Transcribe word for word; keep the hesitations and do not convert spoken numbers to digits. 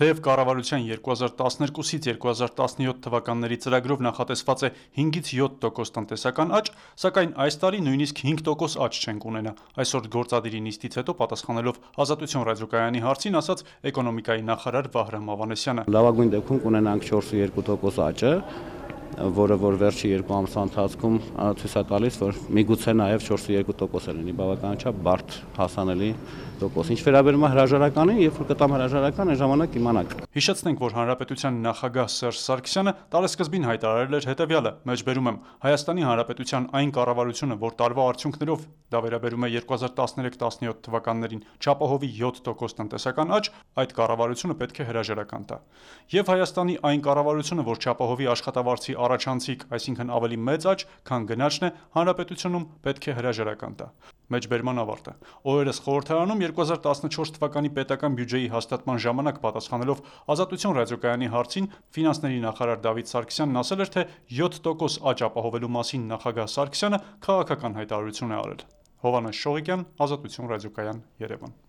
Թեև կառավարության երկու հազար տասներկուսից երկու հազար տասնյոթ թվականների ծրագրով նախատեսված է հինգից յոթ տոկոս տնտեսական աճ, սակայն այս տարի նույնիսկ հինգ տոկոս աճ չենք ունենա։ Այսօր գործադիրի նիստից հետո պատասխանելով Ազատություն ռադիոկայանի հարցին ասաց էկոնոմիկայի նախարար Վահրամ Ավանեսյանը։ Լավագույն դեպքում կունենանք չորս ու երկու տոկոս աճը, որը որ վերջի երկու ամսվա ընթացքում ցույց է տալիս, որ միգուցե նաև չորս ու երկու տոկոս է լինի, բավականաչափ բարդ հասանելի տոկոս։ Ինչ վերաբերում է հրաժարականին, երբ որ կտամ հրաժարական, այն ժամանակ կիմանաք։ Հիշեցնենք, որ Հանրապետության նախագահ Սերժ Սարգսյանը տարեսկզբին հայտարարել էր հետևյալը. մեջբերում եմ Հայաստանի Հանրապետության այն կառավարությունը, որ տարվա արդյունքներով, դա վերաբերում է երկու հազար տասներեք տասնյոթ թվականներին, չապահովի յոթ տոկոս տնտեսական աճ, այդ կառավարությունը պետք է հրաժարական տա։ Եվ Հայաստանի այն կառավարությունը, որ չապահովի աշխատավարձի առաջանցիկ, այսինքն ավելի մեծ աճ, քան գնաճն է, հանրապետությունում պետք է հրաժարական տա։ Մեջբերման ավարտը։ Օրերս խորհրդարանում երկու հազար տասնչորս թվականի պետական բյուջեի հաստատման ժամանակ պատասխանելով Ազատություն ռադիոկայանի հարցին, ֆինանսների նախարար Դավիթ Սարգսյանն ասել էր, թե յոթ տոկոս աճ ապահովելու մասին նախագահ Սարգսյանը քաղաքական հայտարարություն է արել։ Հովհաննես Շողիկյան, Ազատություն ռադիոկայան, Երևան։